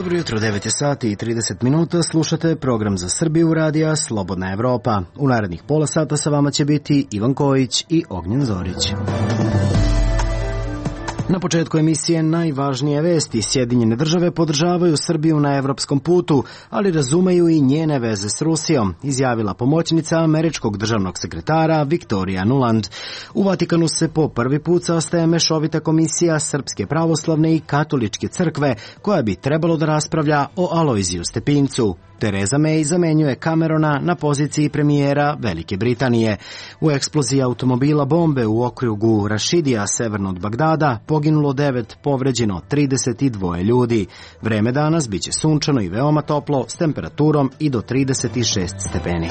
Dobro jutro, 9 je sati i 30 minuta, slušate program za Srbiju radija Slobodna Evropa. U narednih pola sata sa vama će biti Ivan Kojić i Ognjen Zorić. Na početku emisije najvažnije vesti. Sjedinjene države podržavaju Srbiju na evropskom putu, ali razumeju i njene veze s Rusijom, izjavila pomoćnica američkog državnog sekretara Viktorija Nuland. U Vatikanu se po prvi put sastaje mešovita komisija Srpske pravoslavne i katoličke crkve, koja bi trebalo da raspravlja o Alojziju Stepincu. Tereza May zamenjuje Camerona na poziciji premijera Velike Britanije. U eksploziji automobila bombe u okrugu Rašidija, severno od Bagdada, poginulo 9, povređeno 32 ljudi. Vreme danas biće sunčano i veoma toplo, s temperaturom i do 36 stepeni.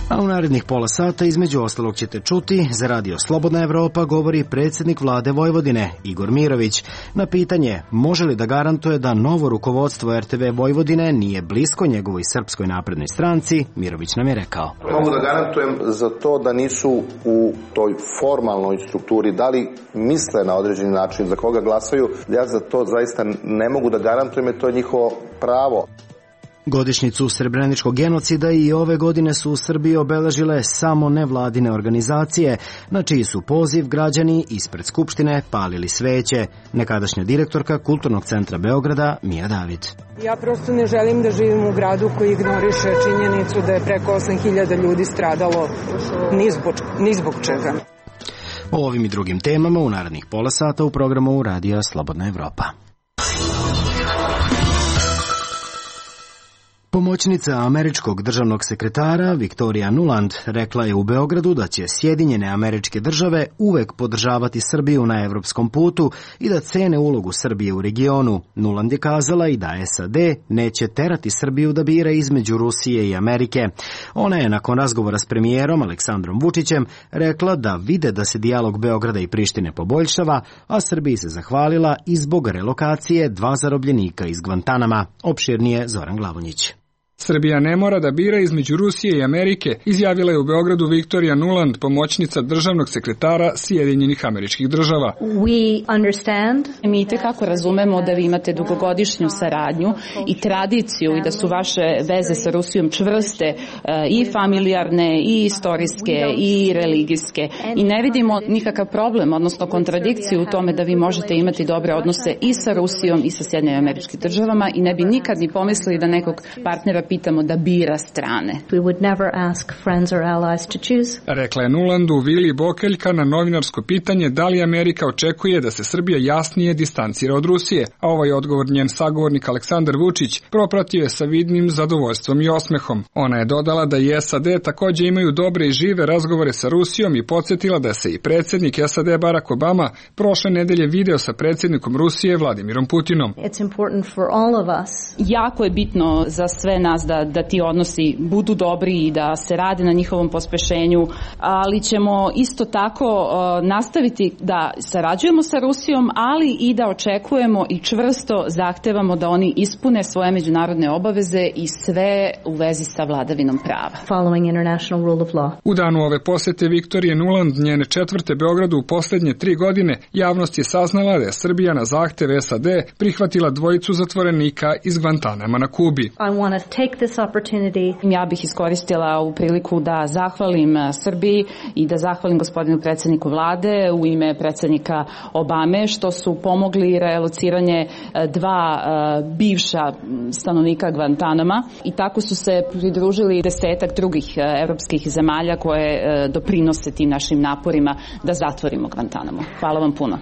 A u narednih pola sata između ostalog ćete čuti, za radio Slobodna Evropa govori predsjednik vlade Vojvodine, Igor Mirović. Na pitanje može li da garantuje da novo rukovodstvo RTV Vojvodine nije blisko njegovoj Srpskoj naprednoj stranci, Mirović nam je rekao. Mogu da garantujem za to da nisu u toj formalnoj strukturi, da li misle na određeni način za koga glasaju, ja za to zaista ne mogu da garantujem, jer to je njihovo pravo. Godišnjicu srebreničkog genocida i ove godine su u Srbiji obeležile samo nevladine organizacije, na čiji su poziv građani ispred Skupštine palili sveće. Nekadašnja direktorka Kulturnog centra Beograda, Mija David. Ja prosto ne želim da živim u gradu koji ignoriše činjenicu da je preko 8.000 ljudi stradalo ni zbog čega. O ovim i drugim temama u narednih pola sata u programu Radija Slobodna Evropa. Pomoćnica američkog državnog sekretara Viktorija Nuland rekla je u Beogradu da će Sjedinjene Američke Države uvek podržavati Srbiju na evropskom putu i da cene ulogu Srbije u regionu. Nuland je kazala i da SAD neće terati Srbiju da bira između Rusije i Amerike. Ona je nakon razgovora s premijerom Aleksandrom Vučićem rekla da vide da se dijalog Beograda i Prištine poboljšava, a Srbiji se zahvalila i zbog relokacije 2 zarobljenika iz Gvantanama. Opširnije Zoran Glavonjić. Srbija ne mora da bira između Rusije i Amerike, izjavila je u Beogradu Viktorija Nuland, pomoćnica državnog sekretara Sjedinjenih Američkih Država. Mi itekako razumemo da vi imate dugogodišnju saradnju i tradiciju i da su vaše veze sa Rusijom čvrste i familijarne i istorijske i religijske. I ne vidimo nikakav problem, odnosno kontradikciju u tome da vi možete imati dobre odnose i sa Rusijom i sa Sjedinjenim Američkim Državama i ne bi nikad ni pomislili da nekog partnera pitamo da bira strane. Rekla je Nulandu Vili Bokeljka na novinarsko pitanje da li Amerika očekuje da se Srbija jasnije distancira od Rusije, a ovaj odgovor njen sagovornik Aleksandar Vučić propratio je sa vidnim zadovoljstvom i osmehom. Ona je dodala da i SAD takođe imaju dobre i žive razgovore sa Rusijom i podsjetila da se i predsjednik SAD Barack Obama prošle nedelje video sa predsjednikom Rusije Vladimirom Putinom. Jako je bitno za sve nas da ti odnosi budu dobri i da se rade na njihovom pospešenju, ali ćemo isto tako nastaviti da sarađujemo sa Rusijom, ali i da očekujemo i čvrsto zahtevamo da oni ispune svoje međunarodne obaveze i sve u vezi sa vladavinom prava. U danu ove posete Viktorije Nuland, njene četvrte Beogradu u poslednje 3 godine, javnost je saznala da je Srbija na zahtev SAD prihvatila 2 zatvorenika iz Gvantanama na Kubi. Ja bih iskoristila u priliku da zahvalim Srbiji i da zahvalim gospodinu predsjedniku vlade u ime predsjednika Obame što su pomogli relociranje 2 bivša stanovnika Gvantanama i tako su se pridružili 10 drugih evropskih zemalja koje doprinose tim našim naporima da zatvorimo Gvantanamo. Hvala vam puno.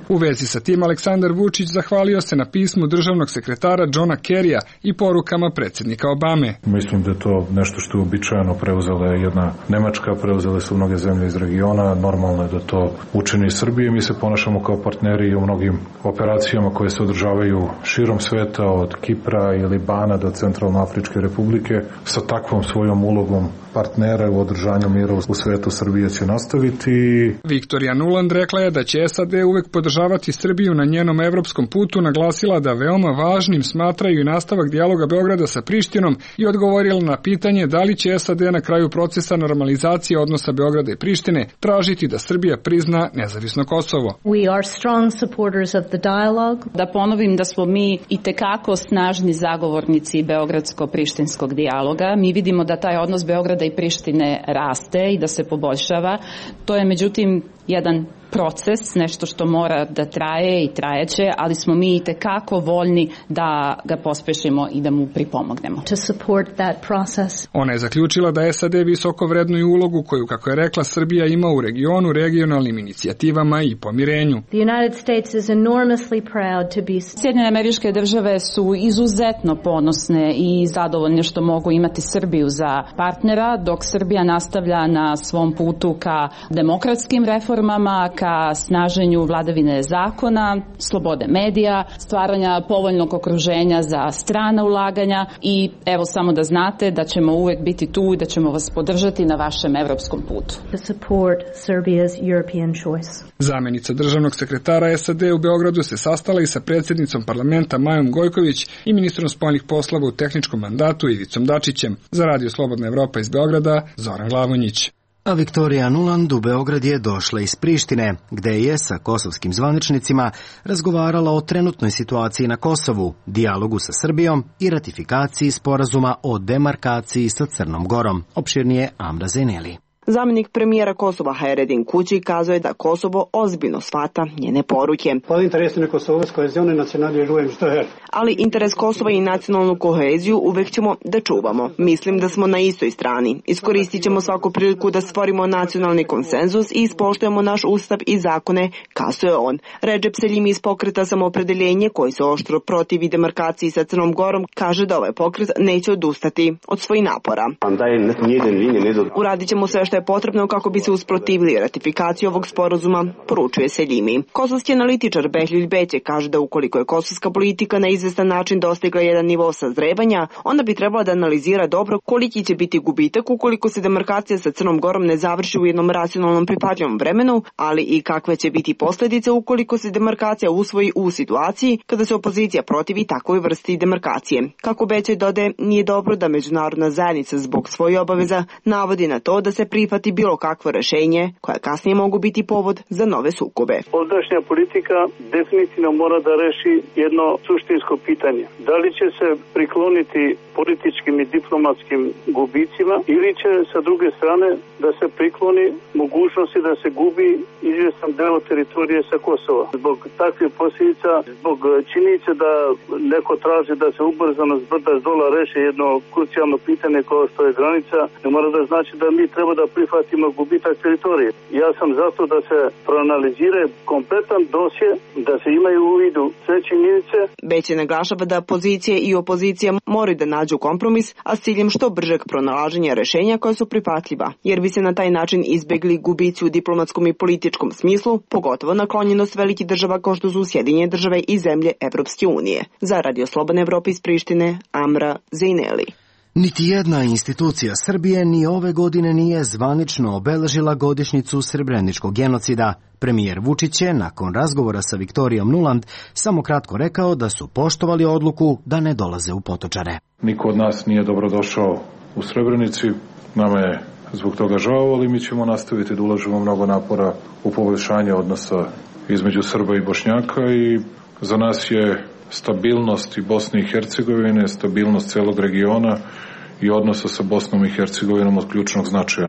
U vezi sa tim Aleksandar Vučić zahvalio se na pismu državnog sekretara Johna Kerrya i porukama predsjednika Obame. Mislim da je to nešto što je uobičajeno, preuzela je jedna Nemačka, preuzele su mnoge zemlje iz regiona, normalno je da to učini Srbije. Mi se ponašamo kao partneri u mnogim operacijama koje se održavaju širom sveta, od Kipra i Libana do Centralnoafričke republike. Sa takvom svojom ulogom partnera u održanju mira u svetu Srbije će nastaviti. Viktorija Nuland rekla je da će SAD uvek podržavati Srbiju na njenom evropskom putu, naglasila da veoma važnim smatraju i nastavak dijaloga Beograda sa Prištinom i odgovorila na pitanje da li će SAD na kraju procesa normalizacije odnosa Beograda i Prištine tražiti da Srbija prizna nezavisno Kosovo. We are strong supporters of the dialogue. Da ponovim da smo mi itekako snažni zagovornici beogradsko-prištinskog dijaloga. Mi vidimo da taj odnos Beograda i Prištine raste i da se poboljšava. To je međutim jedan proces, nešto što mora da traje i trajeće, ali smo mi itekako voljni da ga pospešimo i da mu pripomognemo. To support that process. Ona je zaključila da SAD visoko vrednuju ulogu koju, kako je rekla, Srbija ima u regionu, regionalnim inicijativama i pomirenju. The United States is enormously proud to be... Sjedinjene Američke Države su izuzetno ponosne i zadovoljne što mogu imati Srbiju za partnera, dok Srbija nastavlja na svom putu ka demokratskim reformama, ka snaženju vladavine zakona, slobode medija, stvaranja povoljnog okruženja za strana ulaganja i evo samo da znate da ćemo uvek biti tu i da ćemo vas podržati na vašem evropskom putu. To support Serbia's European choice. Zamenica državnog sekretara SAD u Beogradu se sastala i sa predsjednicom parlamenta Majom Gojković i ministrom spoljnih poslova u tehničkom mandatu Ivicom Dačićem. Za Radio Slobodna Evropa iz Beograda, Zoran Glavonjić. A Viktorija Nuland u Beograd je došla iz Prištine, gde je sa kosovskim zvaničnicima razgovarala o trenutnoj situaciji na Kosovu, dijalogu sa Srbijom i ratifikaciji sporazuma o demarkaciji sa Crnom Gorom. Opširnije Amra Zeneli. Zamjenik premijera Kosova Hayreddin Kući kazuje da Kosovo ozbiljno shvata njene poruke. Ali interes Kosova i nacionalnu koheziju uvek ćemo da čuvamo. Mislim da smo na istoj strani. Iskoristit ćemo svaku priliku da stvorimo nacionalni konsenzus i ispoštujemo naš ustav i zakone, kazuje on. Redžep Seljimi iz pokreta Samoopredeljenje, koji se oštro protivi demarkaciji sa Crnom Gorom, kaže da ovaj pokret neće odustati od svojih napora. Uradit ćemo sve što je potrebno kako bi se usprotivili ratifikaciji ovog sporazuma, poručuje Seljimi. Kosovski analitičar Behlil Beće kaže da ukoliko je kosovska politika na izvestan način dostigla jedan nivo sazrevanja, onda bi trebala da analizira dobro koliki će biti gubitak ukoliko se demarkacija sa Crnom Gorom ne završi u jednom racionalnom prihvatljivom vremenu, ali i kakve će biti posljedice ukoliko se demarkacija usvoji u situaciji kada se opozicija protivi takvoj vrsti demarkacije. Kako Beće dodaje, nije dobro da međunarodna zajednica zbog svojih obaveza navodi na to da se prihvati bilo kakvo rešenje koja kasnije mogu biti povod za nove sukobe. Ovdašnja politika definitivno mora da reši jedno suštinsko pitanje. Da li će se prikloniti političkim i diplomatskim gubicima ili će sa druge strane da se prikloni mogućnosti da se gubi izvjestan deo teritorije sa Kosova. Zbog takvih posljedica, zbog činjenice da neko traži da se ubrzano s brda s dola reši jedno krucijalno pitanje kao što je granica, ne mora da znači da mi treba da prihvatimo gubitak teritorije. Ja sam zato da se proanalizira kompletan dosje, da se imaju u vidu sve činjenice. Beće naglašava da pozicije i opozicija moraju da nađu kompromis, a s ciljem što bržeg pronalaženja rešenja koja su prihvatljiva, jer bi se na taj način izbegli gubici u diplomatskom i političkom smislu, pogotovo naklonjenost velikih država kao što su Sjedinjene Države i zemlje Evropske unije. Za Radio Slobodne Evrope iz Prištine, Amra Zeneli. Niti jedna institucija Srbije ni ove godine nije zvanično obeležila godišnjicu srebreničkog genocida. Premijer Vučić je, nakon razgovora sa Viktorijom Nuland, samo kratko rekao da su poštovali odluku da ne dolaze u Potočare. Niko od nas nije dobrodošao u Srebrenici, nama je zbog toga žao, ali mi ćemo nastaviti da ulažemo mnogo napora u poboljšanje odnosa između Srba i Bošnjaka i za nas je stabilnost i Bosne i Hercegovine, stabilnost celog regiona i odnosa sa Bosnom i Hercegovinom od ključnog značaja.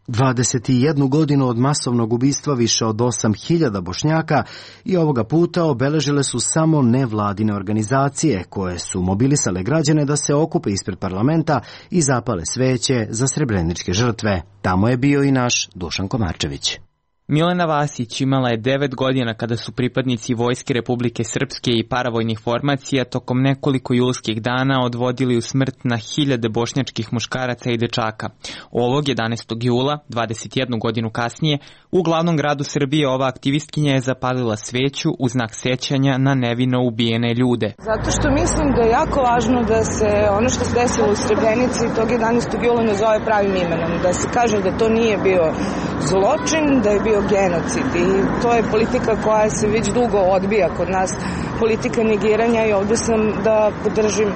21 godinu od masovnog ubistva više od 8.000 Bošnjaka i ovoga puta obeležile su samo nevladine organizacije koje su mobilisale građane da se okupe ispred parlamenta i zapale sveće za srebreničke žrtve. Tamo je bio i naš Dušan Komarčević. Milena Vasić imala je 9 godina kada su pripadnici Vojske Republike Srpske i paravojnih formacija tokom nekoliko julskih dana odvodili u smrt na hiljade bošnjačkih muškaraca i dečaka. Ovog 11. jula, 21 godinu kasnije, u glavnom gradu Srbije ova aktivistkinja je zapalila sveću u znak sećanja na nevino ubijene ljude. Zato što mislim da je jako važno da se ono što se desilo u Srebrenici tog 11. jula nazove pravim imenom. Da se kaže da to nije bio zločin, da je bio bio genocid i to je politika koja se već dugo odbija kod nas, politika negiranja, i ovde sam da podržim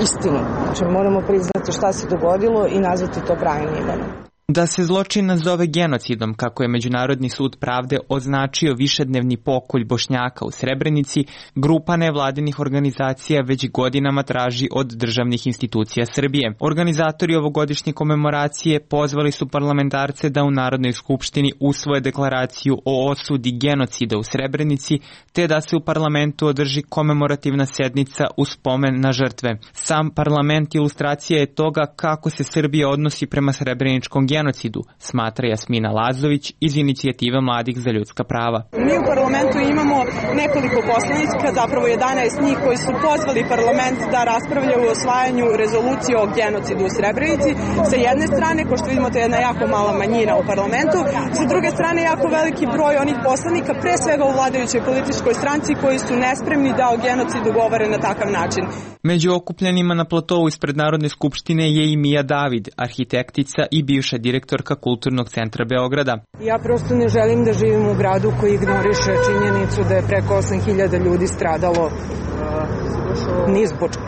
istinu. Znači moramo priznati šta se dogodilo i nazvati to pravim imenom. Da se zločin nazove genocidom, kako je Međunarodni sud pravde označio višednevni pokolj Bošnjaka u Srebrenici, grupa nevladinih organizacija već godinama traži od državnih institucija Srbije. Organizatori ovogodišnje komemoracije pozvali su parlamentarce da u Narodnoj skupštini usvoje deklaraciju o osudi genocida u Srebrenici, te da se u parlamentu održi komemorativna sednica u spomen na žrtve. Sam parlament ilustracija je toga kako se Srbija odnosi prema srebreničkom genocidu, smatra Jasmina Lazović iz Inicijative mladih za ljudska prava. Mi u parlamentu imamo nekoliko poslanika, zapravo 11 njih koji su pozvali parlament da raspravljaju o osvajanju rezolucije o genocidu u Srebrenici. Sa jedne strane, ko što vidimo, to je jedna jako mala manjina u parlamentu, sa druge strane jako veliki broj onih poslanika, pre svega u vladajućoj političkoj stranci, koji su nespremni da o genocidu govore na takav način. Među okupljenima na platovu ispred Narodne skupštine je i Mija David, arhitektica i bivša direktorka Kulturnog centra Beograda. Ja prosto ne želim da živim u gradu koji ignoriše činjenicu da je preko 8.000 ljudi stradalo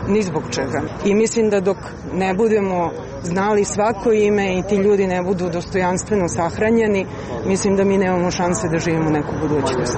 ni zbog čega. I mislim da dok ne budemo znali svako ime i ti ljudi ne budu dostojanstveno sahranjeni, mislim da mi nemamo šanse da živimo neku budućnost.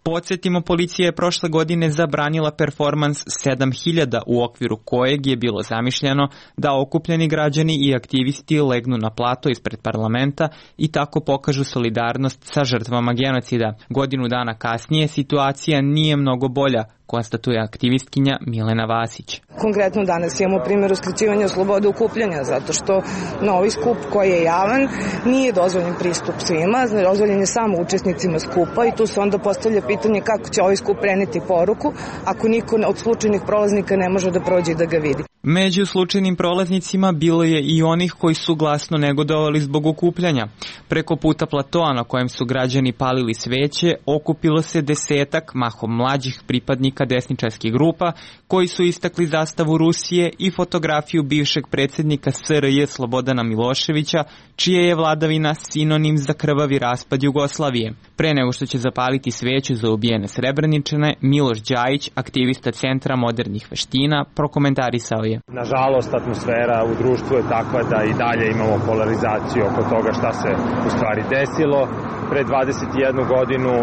Podsjetimo, policija je prošle godine zabranila performans 7000 u okviru kojeg je bilo zamišljeno da okupljeni građani i aktivisti legnu na plato ispred parlamenta i tako pokažu solidarnost sa žrtvama genocida. Godinu dana kasnije situacija nije mnogo bolja, konstatuje aktivistkinja Milena Vasić. Konkretno danas imamo primjer uskraćivanja slobode okupljanja, zato što na ovaj skup koji je javan nije dozvoljen pristup svima, dozvoljen je samo učesnicima skupa i tu se onda postavlja pitanje kako će ovaj skup preneti poruku ako niko od slučajnih prolaznika ne može da prođe i da ga vidi. Među slučajnim prolaznicima bilo je i onih koji su glasno negodovali zbog okupljanja. Preko puta platoa na kojem su građani palili sveće okupilo se 10-ak mahom mlađih pripadnika desničarskih grupa koji su istakli zastavu Rusije i fotografiju bivšeg predsjednika SRJ Slobodana Miloševića, čija je vladavina sinonim za krvavi raspad Jugoslavije. Pre nego što će zapaliti sveću za ubijene Srebreničane, Miloš Đajić, aktivista Centra modernih veština, prokomentarisao je: nažalost, atmosfera u društvu je takva da i dalje imamo polarizaciju oko toga šta se u stvari desilo. Pre 21 godinu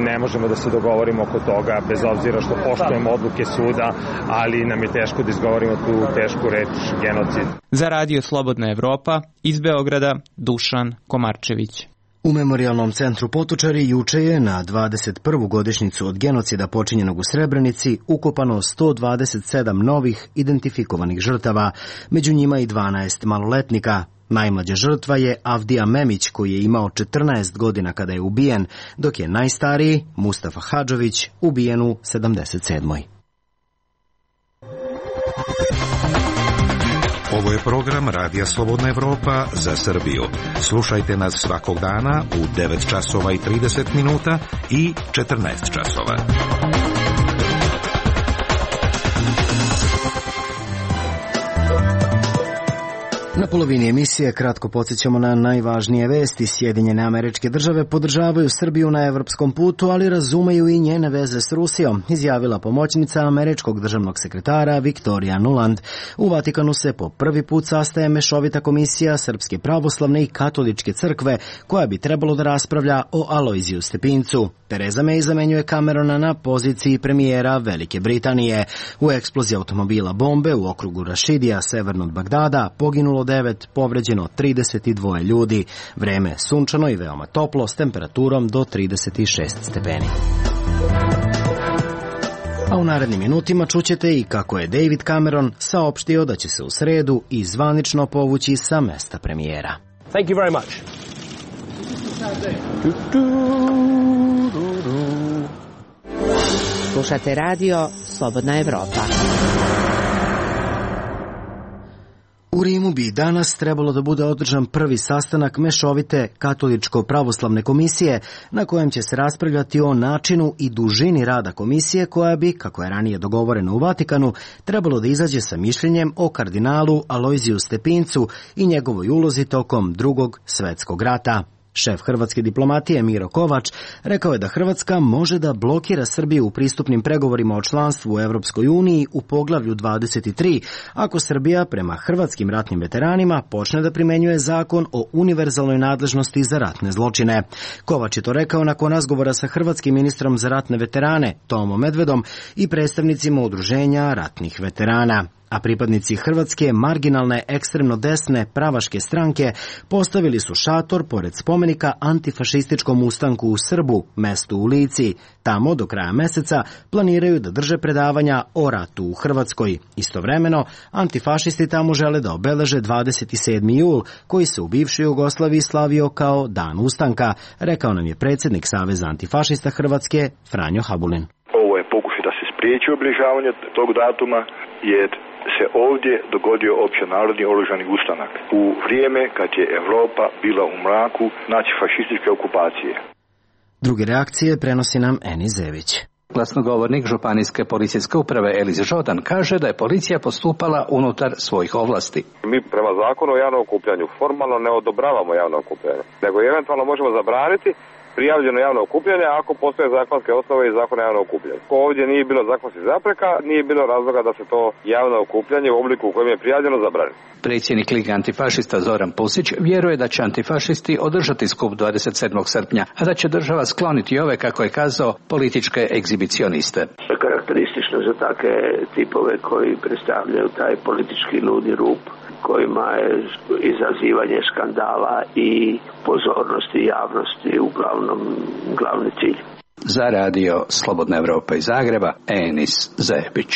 ne možemo da se dogovorimo oko toga, bez obzira što poštujemo odluke suda, ali nam je teško da izgovorimo tu tešku reč genocid. Za Radio Slobodna Evropa, iz Beograda, Dušan Komarčević. U Memorijalnom centru Potočari juče je na 21. godišnjicu od genocida počinjenog u Srebrenici ukopano 127 novih identifikovanih žrtava, među njima i 12 maloletnika. Najmlađa žrtva je Avdija Memić, koji je imao 14 godina kada je ubijen, dok je najstariji, Mustafa Hadžović, ubijen u 77. Ovo je program Radija Slobodna Evropa za Srbiju. Slušajte nas svakog dana u 9 časova i 30 minuta i 14 časova. Na polovini emisije kratko podsjećamo na najvažnije vesti. Sjedinjene Američke Države podržavaju Srbiju na evropskom putu, ali razumeju i njene veze s Rusijom, izjavila pomoćnica američkog državnog sekretara Viktorija Nuland. U Vatikanu se po prvi put sastaje mešovita komisija Srpske pravoslavne i katoličke crkve, koja bi trebalo da raspravlja o Alojziju Stepincu. Tereza May zamenjuje Camerona na poziciji premijera Velike Britanije. U eksploziji automobila bombe u okrugu Rašidija, severno od Bagdada, poginulo 9, povređeno 32 ljudi. Vreme je sunčano i veoma toplo s temperaturom do 36 stepeni. A u narednim minutima čućete i kako je David Cameron saopštio da će se u sredu i zvanično povući sa mesta premijera. Thank you very much. Slušate radio Slobodna Evropa. U Rimu bi danas trebalo da bude održan prvi sastanak mešovite katoličko-pravoslavne komisije, na kojem će se raspravljati o načinu i dužini rada komisije, koja bi, kako je ranije dogovoreno u Vatikanu, trebalo da izađe sa mišljenjem o kardinalu Alojziju Stepincu i njegovoj ulozi tokom Drugog svetskog rata. Šef hrvatske diplomatije Miro Kovač rekao je da Hrvatska može da blokira Srbiju u pristupnim pregovorima o članstvu u Evropskoj uniji u poglavlju 23 ako Srbija prema hrvatskim ratnim veteranima počne da primenjuje zakon o univerzalnoj nadležnosti za ratne zločine. Kovač je to rekao nakon razgovora sa hrvatskim ministrom za ratne veterane Tomom Medvedom i predstavnicima udruženja ratnih veterana. A pripadnici hrvatske marginalne ekstremno desne pravaške stranke postavili su šator pored spomenika antifašističkom ustanku u Srbu, mestu u Lici. Tamo do kraja meseca planiraju da drže predavanja o ratu u Hrvatskoj. Istovremeno, antifašisti tamo žele da obeleže 27. jul, koji se u bivšoj Jugoslaviji slavio kao Dan ustanka, rekao nam je predsjednik Saveza antifašista Hrvatske Franjo Habulin. Ovo je pokušaj da se spriječi obilježavanje tog datuma, jer se ovdje dogodio općenarodni oružani ustanak u vrijeme kad je Evropa bila u mraku nacifašističke okupacije. Druge reakcije prenosi nam Eni Zević. Glasnogovornik Županijske policijske uprave Eliz Žodan kaže da je policija postupala unutar svojih ovlasti. Mi prema zakonu o javnom okupljanju formalno ne odobravamo javno okupljanje, nego eventualno možemo zabraniti prijavljeno javno okupljanje ako postoje zakonske osnove i zakon o javnom okupljanju. Ovdje nije bilo zakonskih zapreka, nije bilo razloga da se to javno okupljanje u obliku u kojem je prijavljeno zabrani. Predsjednik Lige antifašista Zoran Pusić vjeruje da će antifašisti održati skup 27. srpnja, a da će država skloniti ove, kako je kazao, političke egzibicioniste. Karakteristično za takve tipove koji predstavljaju taj politički ludi rup, kojima je izazivanje skandala i pozornosti javnosti uglavnom glavni cilj. Za radio Slobodna Evropa iz Zagreba, Enis Zebić.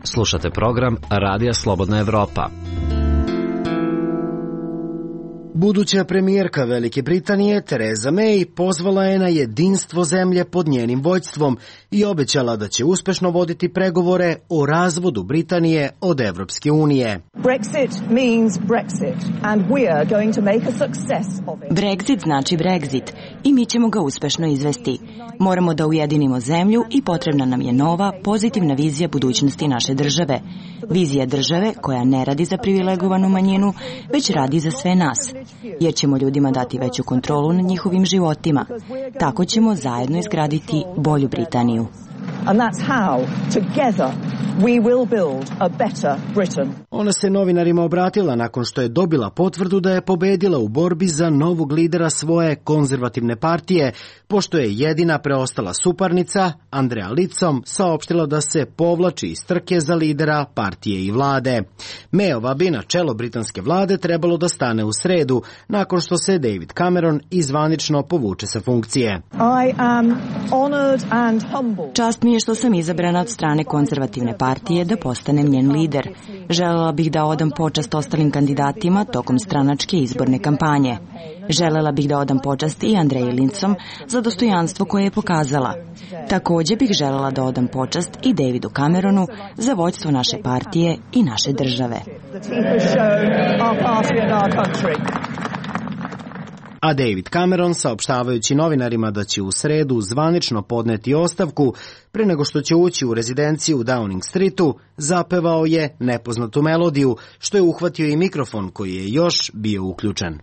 Slušate program Radija Slobodna Evropa. Buduća premijerka Velike Britanije Theresa May pozvala je na jedinstvo zemlje pod njenim vođstvom i obećala da će uspešno voditi pregovore o razvodu Britanije od Evropske unije. Brexit znači Brexit i mi ćemo ga uspešno izvesti. Moramo da ujedinimo zemlju i potrebna nam je nova, pozitivna vizija budućnosti naše države. Vizija države koja ne radi za privilegovanu manjinu, već radi za sve nas. Jer ćemo ljudima dati veću kontrolu nad njihovim životima. Tako ćemo zajedno izgraditi bolju Britaniju. Ona se novinarima obratila nakon što je dobila potvrdu da je pobedila u borbi za novog lidera svoje konzervativne partije, pošto je jedina preostala suparnica, Andrea Leadsom, saopštila da se povlači iz trke za lidera partije i vlade. Mayova bi na čelo britanske vlade trebalo da stane u sredu, nakon što se David Cameron izvanično povuče sa funkcije. Čast mi je što sam izabrana od strane konzervativne partije da postanem njen lider. Želela bih da odam počast ostalim kandidatima tokom stranačke izborne kampanje. Želela bih da odam počast i Andreji Leadsom za dostojanstvo koje je pokazala. Također bih želela da odam počast i Davidu Cameronu za vođstvo naše partije i naše države. A David Cameron, saopštavajući novinarima da će u sredu zvanično podneti ostavku pre nego što će ući u rezidenciju u Downing Streetu, zapevao je nepoznatu melodiju, što je uhvatio i mikrofon koji je još bio uključen.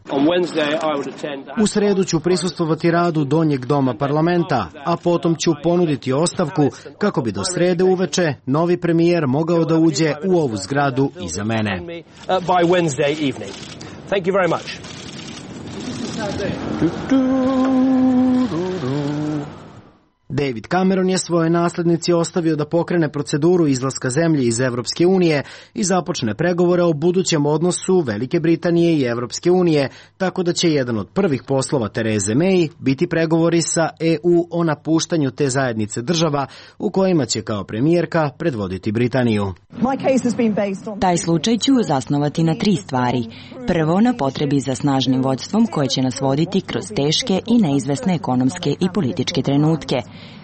U sredu ću prisustvovati radu donjeg doma parlamenta, a potom ću ponuditi ostavku kako bi do srede uveče novi premijer mogao da uđe u ovu zgradu iza mene. David Cameron je svoje naslednici ostavio da pokrene proceduru izlaska zemlje iz Evropske unije i započne pregovore o budućem odnosu Velike Britanije i Evropske unije, tako da će jedan od prvih poslova Therese May biti pregovori sa EU o napuštanju te zajednice država u kojima će kao premijerka predvoditi Britaniju. Taj slučaj ću zasnovati na 3 stvari. Prvo, na potrebi za snažnim vođstvom koje će nas voditi kroz teške i neizvesne ekonomske i političke trenutke.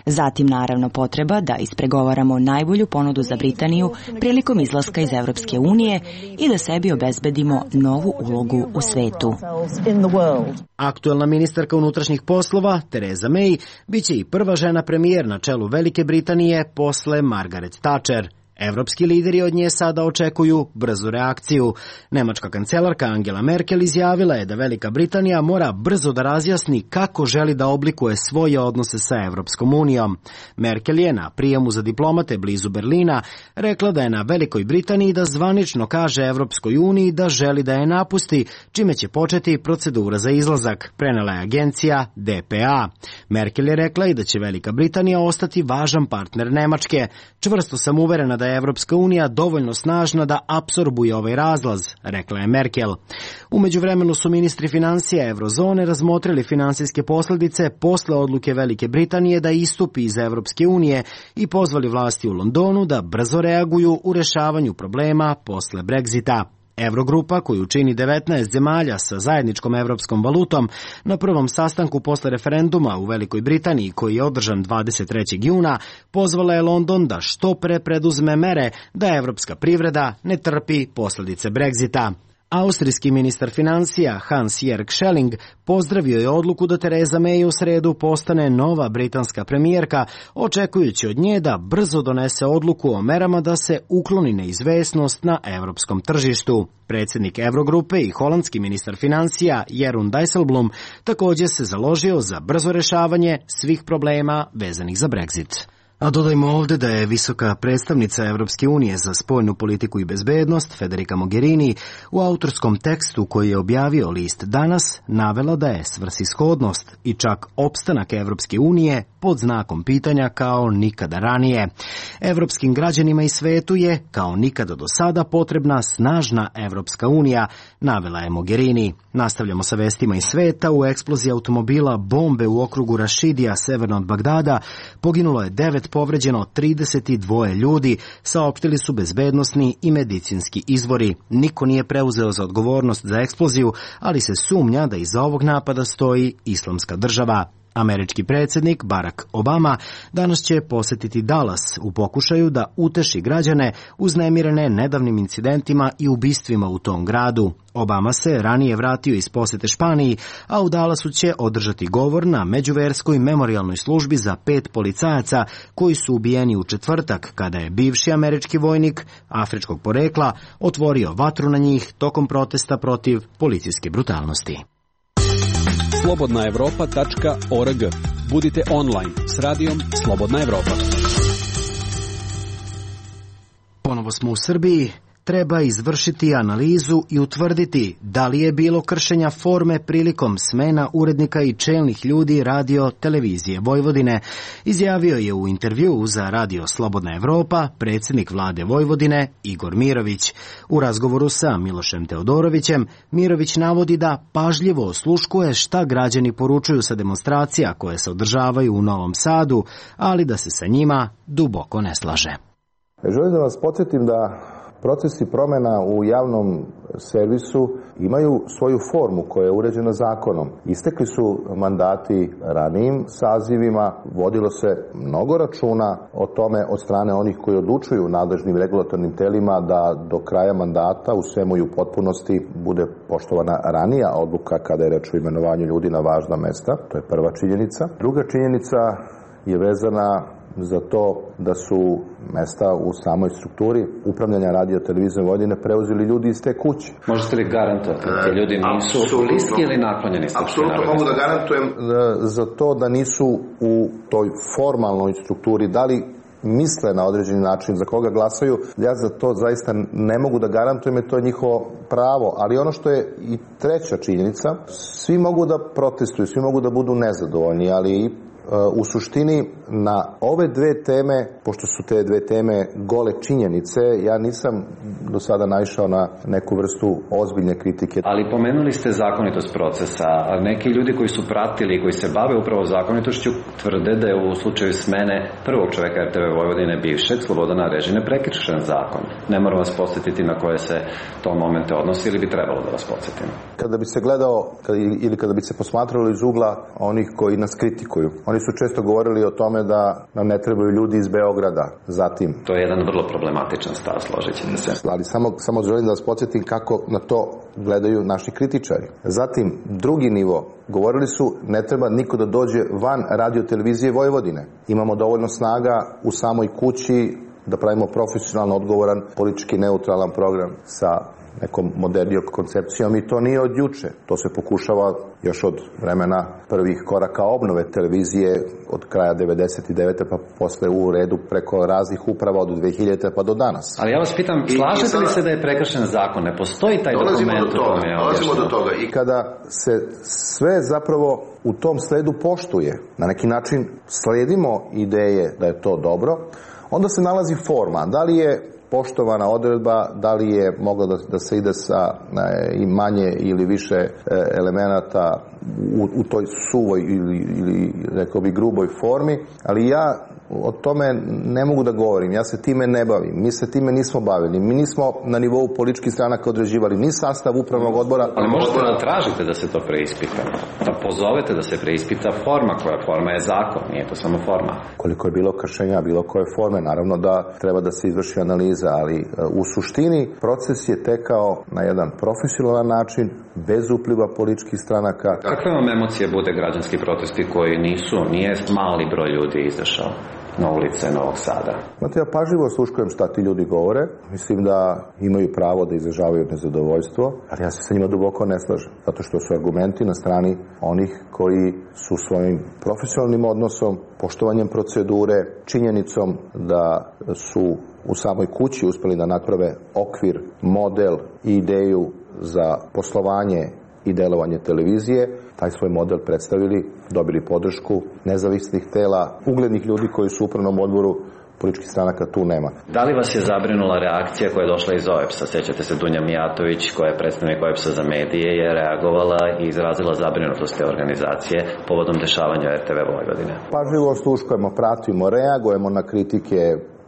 Zatim, naravno, potreba da ispregovaramo najbolju ponudu za Britaniju prilikom izlaska iz Evropske unije i da sebi obezbedimo novu ulogu u svetu. Aktuelna ministarka unutrašnjih poslova, Theresa May, biće i prva žena premijer na čelu Velike Britanije posle Margaret Thatcher. Evropski lideri od nje sada očekuju brzu reakciju. Nemačka kancelarka Angela Merkel izjavila je da Velika Britanija mora brzo da razjasni kako želi da oblikuje svoje odnose sa Evropskom unijom. Merkel je na prijemu za diplomate blizu Berlina rekla da je na Velikoj Britaniji da zvanično kaže Evropskoj uniji da želi da je napusti, čime će početi procedura za izlazak, prenela je agencija DPA. Merkel je rekla i da će Velika Britanija ostati važan partner Nemačke. Čvrsto sam uverena da je Evropska unija dovoljno snažna da apsorbuje ovaj razlaz, rekla je Merkel. U međuvremenu su ministri finansija Eurozone razmotrili finansijske posljedice posle odluke Velike Britanije da istupi iz Evropske unije i pozvali vlasti u Londonu da brzo reaguju u rešavanju problema posle Brexita. Eurogrupa, koju čini 19 zemalja sa zajedničkom evropskom valutom, na prvom sastanku posle referenduma u Velikoj Britaniji, koji je održan 23. juna, pozvala je London da što pre preduzme mere da evropska privreda ne trpi posljedice Brexita. Austrijski ministar finansija Hans-Jörg Schelling pozdravio je odluku da Theresa May u sredu postane nova britanska premijerka, očekujući od nje da brzo donese odluku o merama da se ukloni neizvesnost na evropskom tržištu. Predsjednik Eurogrupe i holandski ministar finansija Jeroen Dijsselbloem također se založio za brzo rešavanje svih problema vezanih za Brexit. A dodajmo ovdje da je visoka predstavnica Evropske unije za spoljnu politiku i bezbednost, Federica Mogherini, u autorskom tekstu koji je objavio list Danas navela da je svrsishodnost i čak opstanak Evropske unije pod znakom pitanja kao nikada ranije. Evropskim građanima i svetu je, kao nikada do sada, potrebna snažna Evropska unija, navela je Mogherini. Nastavljamo sa vestima iz sveta. U eksploziji automobila bombe u okrugu Rašidija, severno od Bagdada, poginulo je 9, povređeno 32 ljudi, saopštili su bezbednosni i medicinski izvori. Niko nije preuzeo za odgovornost za eksploziju, ali se sumnja da iza ovog napada stoji Islamska država. Američki predsjednik Barack Obama danas će posjetiti Dallas u pokušaju da uteši građane uznemirene nedavnim incidentima i ubistvima u tom gradu. Obama se ranije vratio iz posjete Španiji, a u Dallasu će održati govor na međuverskoj memorijalnoj službi za 5 policajaca koji su ubijeni u četvrtak kada je bivši američki vojnik afričkog porekla otvorio vatru na njih tokom protesta protiv policijske brutalnosti. slobodnaevropa.org. Budite online s radijom Slobodna Evropa. Ponovo smo u Srbiji. Treba izvršiti analizu i utvrditi da li je bilo kršenja forme prilikom smena urednika i čelnih ljudi radio televizije Vojvodine, izjavio je u intervjuu za radio Slobodna Evropa predsjednik vlade Vojvodine Igor Mirović. U razgovoru sa Milošem Teodorovićem, Mirović navodi da pažljivo osluškuje šta građani poručuju sa demonstracija koje se održavaju u Novom Sadu, ali da se sa njima duboko ne slaže. Želim da vas podsjetim da procesi promjena u javnom servisu imaju svoju formu koja je uređena zakonom. Istekli su mandati ranijim sazivima, vodilo se mnogo računa o tome od strane onih koji odlučuju nadležnim regulatornim telima da do kraja mandata u svemu i u potpunosti bude poštovana ranija odluka kada je reč o imenovanju ljudi na važna mesta. To je prva činjenica. Druga činjenica je vezana za to da su mesta u samoj strukturi upravljanja radio televizijom Vojvodine preuzeli ljudi iz te kuće. Možete li garantovati da ti ljudi nisu listi ili naklonjeni? Apsolutno mogu da garantujem za to da nisu u toj formalnoj strukturi, da li misle na određeni način za koga glasaju, ja za to zaista ne mogu da garantujem, jer to je njihovo pravo. Ali ono što je i treća činjenica, svi mogu da protestuju, svi mogu da budu nezadovoljni, ali u suštini na ove dve teme, pošto su te dve teme gole činjenice, ja nisam do sada naišao na neku vrstu ozbiljne kritike. Ali pomenuli ste zakonitost procesa, a neki ljudi koji su pratili i koji se bave upravo zakonitošću tvrde da je u slučaju smene prvog čoveka RTV Vojvodine bivšeg Slobodana Arežine prekršen zakon. Ne moram vas podsjetiti na koje se to momente odnosi ili bi trebalo da vas podsjetim. Kada bi se gledao ili kada bi se posmatralo iz ugla onih koji nas kritikuju, oni su često govorili o tome da nam ne trebaju ljudi iz Beograda. Zatim, to je jedan vrlo problematičan stav, složit ćete se. Ali samo želim da vas podsjetim kako na to gledaju naši kritičari. Zatim, drugi nivo, govorili su ne treba niko da dođe van radio televizije Vojvodine. Imamo dovoljno snaga u samoj kući da pravimo profesionalno odgovoran, politički neutralan program sa nekom modernijom koncepcijom i to nije od juče. To se pokušava još od vremena prvih koraka obnove televizije od kraja 99. pa posle u redu preko raznih uprava od 2000. pa do danas. Ali ja vas pitam, slažete li se da je prekršen zakon? Ne postoji taj dokument? Dolazimo do toga. I kada se sve zapravo u tom sledu poštuje, na neki način sledimo ideje da je to dobro, onda se nalazi forma. Da li je poštovana odredba, da li je moglo da se ide sa i manje ili više elemenata u toj suvoj ili rekao bi gruboj formi, ali ja o tome ne mogu da govorim, ja se time ne bavim, mi se time nismo bavili, mi nismo na nivou političkih stranaka određivali ni sastav upravnog odbora. Ali možete da tražite da se to preispita, da pozovete da se preispita forma, koja forma je zakon, nije to samo forma. Koliko je bilo kršenja bilo koje forme, naravno da treba da se izvrši analiza, ali u suštini proces je tekao na jedan profesionalan način, bez upliva političkih stranaka. Kakve vam emocije bude građanski protesti koji nije mali broj ljudi izašao na ulice Novog Sada? Znate, ja pažljivo sluškujem šta ti ljudi govore. Mislim da imaju pravo da izražavaju nezadovoljstvo, ali ja se sa njima duboko ne slažem. Zato što su argumenti na strani onih koji su svojim profesionalnim odnosom, poštovanjem procedure, činjenicom da su u samoj kući uspeli da naprave okvir, model i ideju za poslovanje i delovanje televizije, taj svoj model predstavili, dobili podršku nezavisnih tela, uglednih ljudi koji su u upravnom odboru političkih stranaka, tu nema. Da li vas je zabrinula reakcija koja je došla iz OEBS-a? Sjećate se Dunja Mijatović, koja je predstavnik OEBS-a za medije, je reagovala i izrazila zabrinutost te organizacije povodom dešavanja RTV Vojvodine. Pažljivo sluškujemo, pratimo, reagujemo na kritike,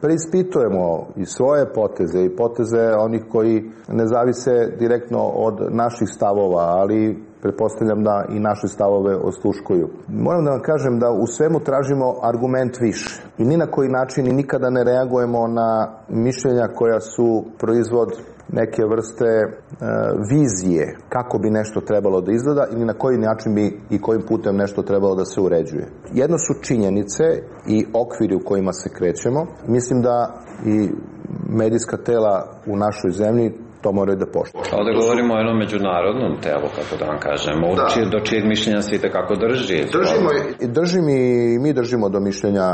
preispitujemo i svoje poteze i poteze onih koji ne zavise direktno od naših stavova, ali pretpostavljam da i naše stavove osluškuju. Moram da vam kažem da u svemu tražimo argument više. I ni na koji način i nikada ne reagujemo na mišljenja koja su proizvod neke vrste vizije kako bi nešto trebalo da izgleda ili na koji način bi i kojim putem nešto trebalo da se uređuje. Jedno su činjenice i okviri u kojima se krećemo. Mislim da i medijska tela u našoj zemlji to moraju da poštuju. Ovdje govorimo o jednom međunarodnom telu, kako da vam kažemo, do čijeg mišljenja svi tekako drži. Mi držimo do mišljenja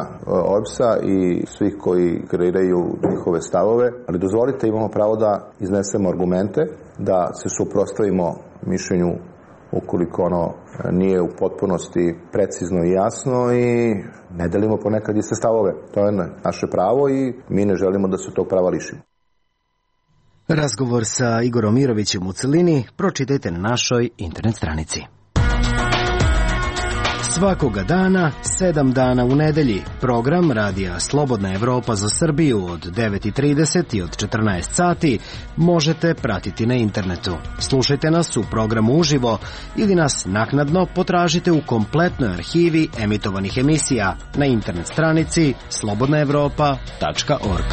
OEBS-a i svih koji kreiraju njihove stavove, ali dozvolite, imamo pravo da iznesemo argumente, da se suprotstavimo mišljenju ukoliko ono nije u potpunosti precizno i jasno i ne delimo ponekad iste stavove. To je naše pravo i mi ne želimo da se tog prava lišimo. Razgovor sa Igorom Mirovićem u celini pročitajte na našoj internet stranici. Svakoga dana, 7 dana u nedelji, program Radija Slobodna Evropa za Srbiju od 9:30 i od 14 sati možete pratiti na internetu. Slušajte nas u programu uživo ili nas naknadno potražite u kompletnoj arhivi emitovanih emisija na internet stranici slobodnaevropa.org.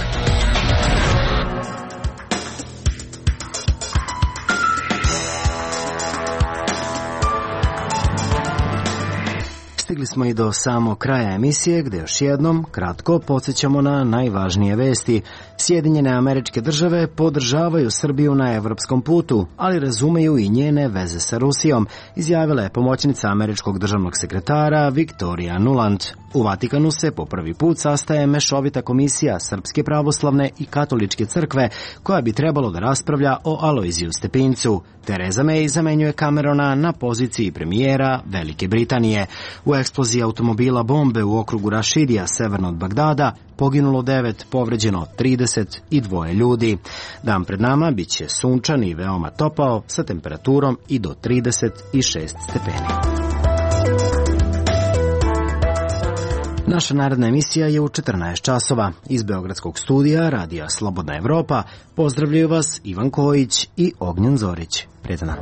Stigli smo i do samog kraja emisije, gde još jednom kratko podsjećamo na najvažnije vesti. Sjedinjene Američke Države podržavaju Srbiju na evropskom putu, ali razumeju i njene veze sa Rusijom, izjavila je pomoćnica američkog državnog sekretara Viktorija Nuland. U Vatikanu se po prvi put sastaje mešovita komisija Srpske pravoslavne i katoličke crkve, koja bi trebalo da raspravlja o Alojziju Stepincu. Tereza May zamenjuje Camerona na poziciji premijera Velike Britanije. U eksploziji automobila bombe u okrugu Rašidija, severno od Bagdada, poginulo 9, povređeno 32 ljudi. Dan pred nama bit će sunčan i veoma topao, sa temperaturom i do 36 stepeni. Naša naredna emisija je u 14 časova. Iz Beogradskog studija Radija Slobodna Evropa pozdravljaju vas Ivan Kojić i Ognjen Zorić. Prijetan dan.